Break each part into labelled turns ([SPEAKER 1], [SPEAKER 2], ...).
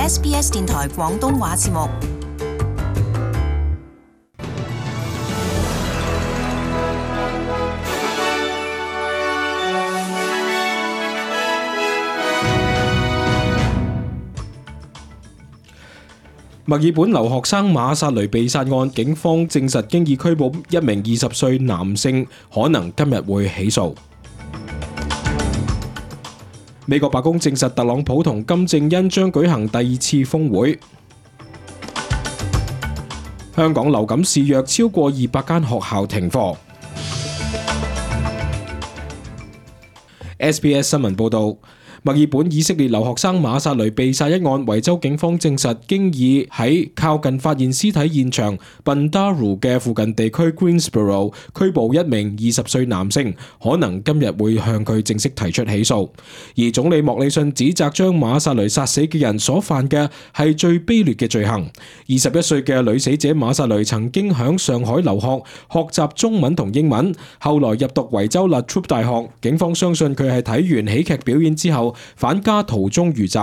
[SPEAKER 1] SBS 電台廣東話節目。
[SPEAKER 2] 墨爾本留學生馬薩雷被殺案，警方證實經已拘捕一名20歲男性，可能今日會起訴。美國白宮證實特朗普同金正恩將舉行第2次峰會。香港流感肆虐，超過200間學校停課。SBS 新聞報導。墨爾本以色列留學生馬薩雷被殺一案，維州警方證實經已喺靠近發現屍體現場 Bundaru 嘅附近地區 Greensboro 拘捕一名20歲男性，可能今日會向佢正式提出起訴。而總理莫里遜指責將馬薩雷殺死嘅人所犯嘅係最卑劣嘅罪行。21歲嘅女死者馬薩雷曾經響上海留學，學習中文同英文，後來入讀維州 La Trobe 大學。警方相信佢係睇完喜劇表演之後返家途中遇襲，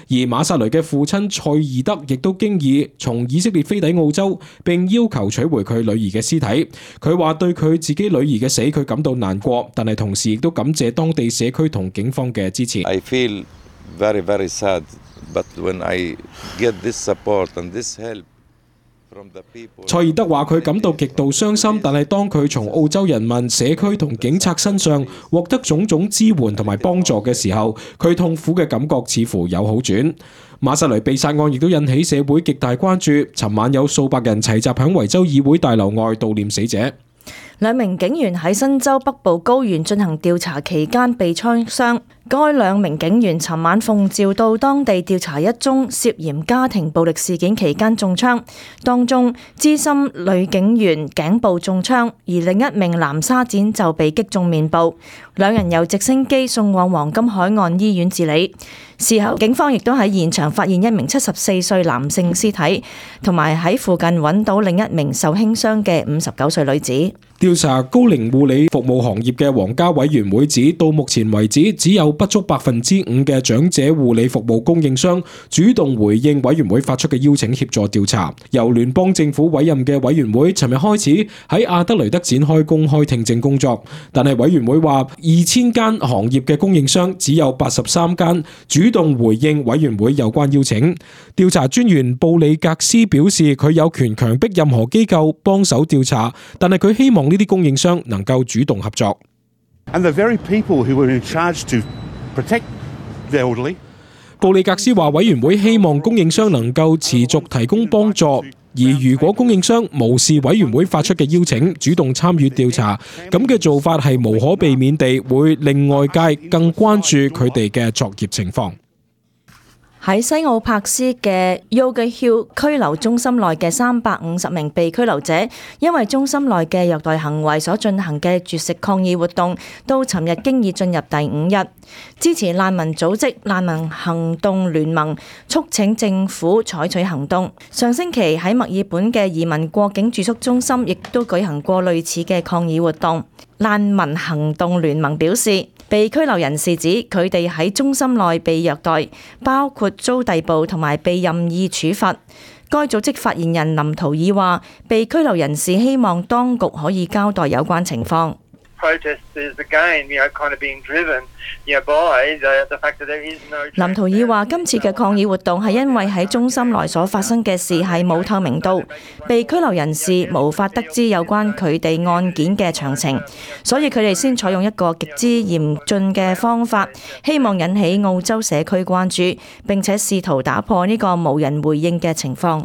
[SPEAKER 2] 而馬薩雷嘅父親蔡爾德亦都經已從以色列飛抵澳洲，並要求取回佢女兒嘅屍體。佢話對佢自己女兒嘅死佢感到難過，但係同時亦都感謝當地社區同警方嘅支持。
[SPEAKER 3] I feel very, very sad, but when I get this support and this help from the people。
[SPEAKER 2] 蔡爾德話佢感到極度傷心，但係當佢從澳洲人民、社區同警察身上獲得種種支援同埋幫助嘅時候，佢痛苦嘅感覺似乎有好轉。馬薩雷被殺案亦都引起社會極大關注，尋晚有數百人齊集喺維州議會大樓外悼念死者。
[SPEAKER 4] 兩名警員喺新州北部高原進行調查期間被槍傷。該兩名警員尋晚奉召到當地調查一宗涉嫌家庭暴力事件期間中槍，當中資深女警員頸部中槍，而另一名男沙展就被擊中面部。兩人由直升機送往黃金海岸醫院治理。事後警方亦都喺現場發現一名74歲男性屍體，同埋喺附近揾到另一名受輕傷嘅59歲女子。
[SPEAKER 2] 調查高齡護理服務行業嘅皇家委員會指，到目前為止只有不足5%嘅長者護理服務供應商主動回應委員會發出嘅邀請協助調查。由聯邦政府委任嘅委員會尋日開始喺亞德雷德展開公開聽證工作，但係委員會話2000間行業嘅供應商只有83間主動回應委員會有關邀請。調查專員布里格斯表示，佢有權強迫任何機構幫手調查，但係佢希望呢啲供應商能夠主動合作。布里格斯話，委員會希望供應商能夠持續提供幫助，而如果供應商無視委員會發出嘅邀請，主動參與調查，咁嘅做法係無可避免地會令外界更關注佢哋嘅作業情況。
[SPEAKER 4] 喺西奧柏斯嘅 Yoga Hill 拘留中心內嘅350名被拘留者，因為中心內嘅虐待行為所進行嘅絕食抗議活動，到尋日經已進入第5日。支持難民組織難民行動聯盟促請政府採取行動。上星期喺墨爾本嘅移民過境住宿中心亦都舉行過類似嘅抗議活動。難民行動聯盟表示，被拘留人士指佢哋喺中心內被虐待，包括遭逮捕同埋被任意處罰。該組織發言人林圖爾話，被拘留人士希望當局可以交代有關情況。林圖爾話，今次嘅抗議活動係因為喺中心內所發生嘅事係冇透明度，被拘留人士無法得知有關佢哋案件嘅詳情，所以佢哋先採用一個極之嚴峻嘅方法，希望引起澳洲社區關注，並且試圖打破呢個無人回應嘅情況。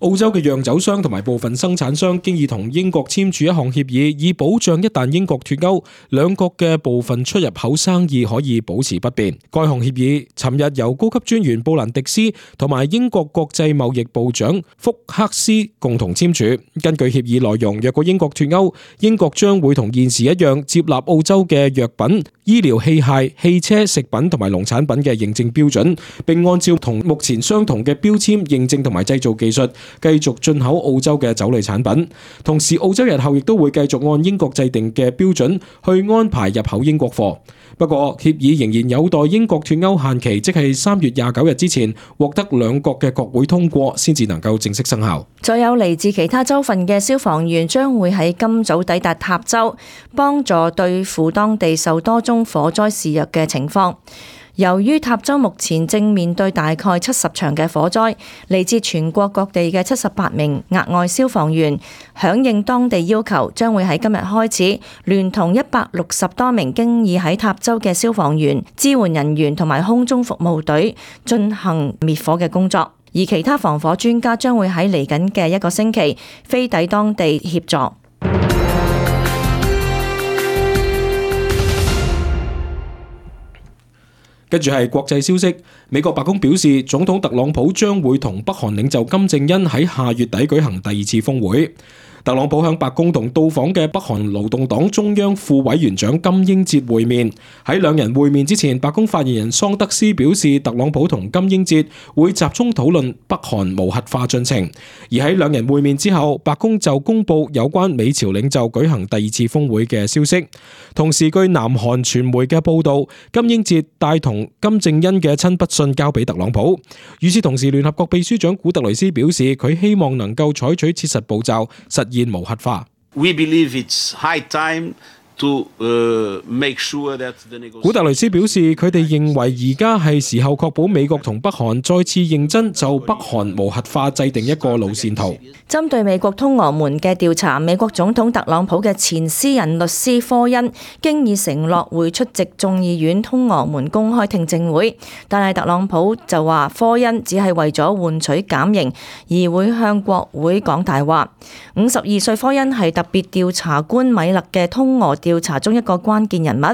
[SPEAKER 2] 澳洲嘅釀酒商同埋部分生產商經已同英國簽署一項協議，以保障一旦英國脫歐，兩國嘅部分出入口生意可以保持不變。該項協議尋日由高級專員布蘭迪斯同埋英國國際貿易部長福克斯共同簽署。根據協議內容，若果英國脫歐，英國將會同現時一樣接納澳洲嘅藥品、醫療器械、汽車、食品同埋農產品嘅認證標準，並按照同目前相同嘅標籤認證同埋製造技術，繼續進口澳洲嘅酒類產品。同時，澳洲日後亦都會繼續按英國制定嘅標準去安排入口英國貨。不過，協議仍然有待英國脫歐限期，即係3月29日之前獲得兩國嘅國會通過，先至能夠正式生效。
[SPEAKER 4] 再有嚟自其他州份嘅消防員將會喺今早抵達塔州，幫助對付當地受多宗火災肆虐嘅情況。由於塔州目前正面對大概70場嘅火災，嚟自全國各地嘅78名額外消防員響應當地要求，將會喺今日開始，聯同160多名經已喺塔州嘅消防員、支援人員同埋空中服務隊進行滅火嘅工作，而其他防火專家將會喺嚟緊嘅1個星期飛抵當地協助。
[SPEAKER 2] 跟住係國際消息，美國白宮表示，總統特朗普將會同北韓領袖金正恩喺下月底舉行第2次峰會。特朗普向白宮同到訪嘅北韓勞動黨中央副委員長金英哲會面。喺兩人會面之前，白宮發言人桑德斯表示，特朗普同金英哲會集中討論北韓無核化進程。而喺兩人會面之後，白宮就公布有關美朝領袖舉行第2次峰會嘅消息。同時，據南韓傳媒嘅報道，金英哲帶同金正恩嘅親筆信交俾特朗普。與此同時，聯合國秘書長古特雷斯表示，佢希望能夠採取切實步驟，實現無核化。
[SPEAKER 5] We believe it's high time to make sure that the negotiations。
[SPEAKER 2] 古特雷斯表示，佢哋認為而家係時候確保美國同北韓再次認真就北韓無核化制定一個路線圖。
[SPEAKER 4] 針對美國通俄門嘅調查，美國總統特朗普嘅前私人律師科恩經已承諾會出席眾議院通俄門公開聽證會，但係特朗普就話科恩只係為咗換取減刑而會向國會講大話。52歲科恩係特別調查官米勒嘅通俄調查中一個關鍵人物。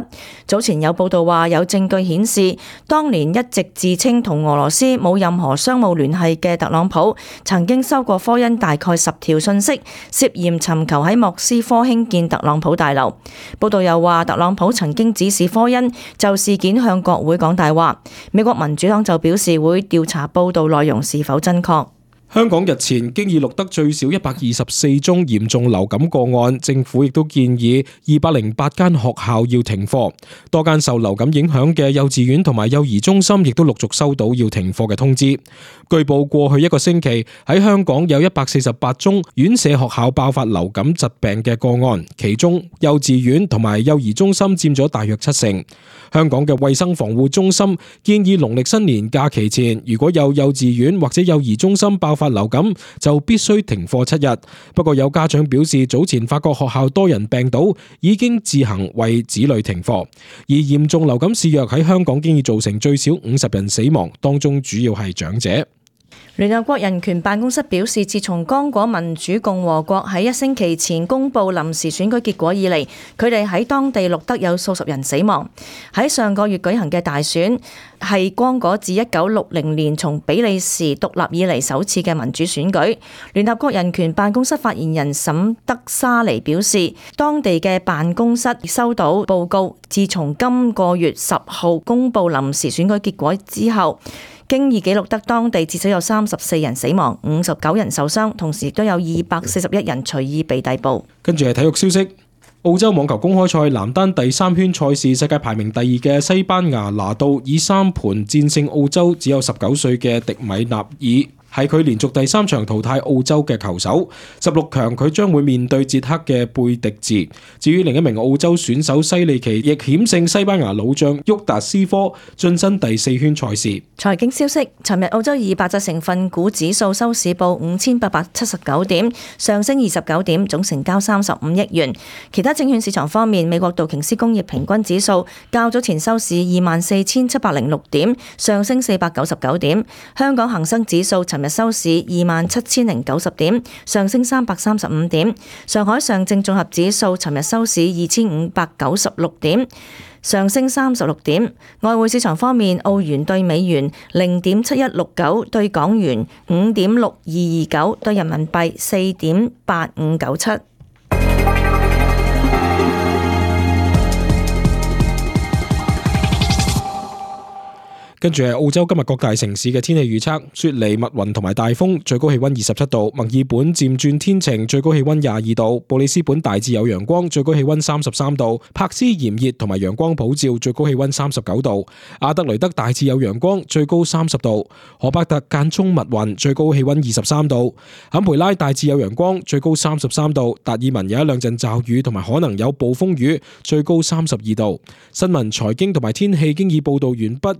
[SPEAKER 4] 早前有報道話，有證據顯示，當年一直自稱同俄羅斯冇任何商務聯繫嘅特朗普，曾經收過科恩大概10條信息，涉嫌尋求喺莫斯科興建特朗普大樓。報道又話，特朗普曾經指示科恩就事件向國會講大話。美國民主黨就表示會調查報道內容是否真確。
[SPEAKER 2] 香港日前經已錄得最少124宗嚴重流感個案，政府亦都建議208間學校要停課。多間受流感影響嘅幼稚園同埋幼兒中心亦都陸續收到要停課嘅通知。據報過去1個星期喺香港有148宗院舍學校爆發流感疾病嘅個案，其中幼稚園同埋幼兒中心佔咗大約70%。香港嘅衛生防護中心建議農曆新年假期前，如果有幼稚園或者幼兒中心爆發流感，就必須停課7日。不過有家長表示，早前發覺學校多人病倒，已經自行為子女停課。而嚴重流感肆虐喺香港經已造成最少50人死亡，當中主要係長者。
[SPEAKER 4] 聯合國人權辦公室表示，自從剛果民主共和國喺1星期前公布臨時選舉結果以嚟，佢哋喺當地錄得有數十人死亡。喺上個月舉行嘅大選係剛果自1960年從比利時獨立以嚟首次嘅民主選舉。聯合國人權辦公室發言人沈德沙尼表示，當地嘅辦公室收到報告，自從今個月10號公布臨時選舉結果之後，經已記錄得當地至少有34人死亡、59人受傷，同時亦都有241人隨意被逮捕。
[SPEAKER 2] 跟住係體育消息，澳洲網球公開賽男單第3圈賽事，世界排名第2嘅西班牙拿度以3盤戰勝澳洲只有19歲嘅迪米納爾。係佢連續第3場淘汰澳洲嘅球手，16強佢將會面對捷克嘅貝迪治。至於另一名澳洲選手西利奇，亦險勝西班牙老將沃達斯科，晉身第4圈賽事。
[SPEAKER 4] 財經消息，尋日澳洲200隻成分股指數收市報5879點，上升29點，總成交35億元。其他證券市場方面，美國道瓊斯工業平均指數較早前收市24,706點，上升499點。香港恒生指數尋日收市27,090點，上升335點。上海上證綜合指數尋日收市2,596點，上升36點。外匯市場方面，澳元對美元0.7169，對港元5.6229，對人民幣4.8597。
[SPEAKER 2] 跟住係澳洲今日各大城市嘅天氣預測：雪梨、密雲同埋大風，最高氣溫27度；墨爾本漸轉天晴，最高氣溫22度；布里斯本大致有陽光，最高氣溫33度；柏斯炎熱同埋陽光普照，最高氣溫39度；阿德雷德大致有陽光，最高30度；荷伯特間中密雲，最高氣溫23度；坎培拉大致有陽光，最高33度；達爾文有一兩陣驟雨同埋可能有暴風雨，最高32度。新聞、財經同埋天氣經已報道完畢。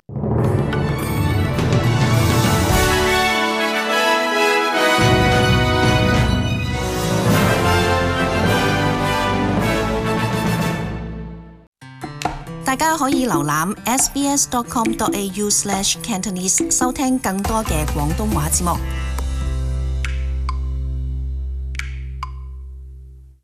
[SPEAKER 1] 大家可以瀏覽 sbs.com.au/cantonese 收聽更多嘅廣東話節目。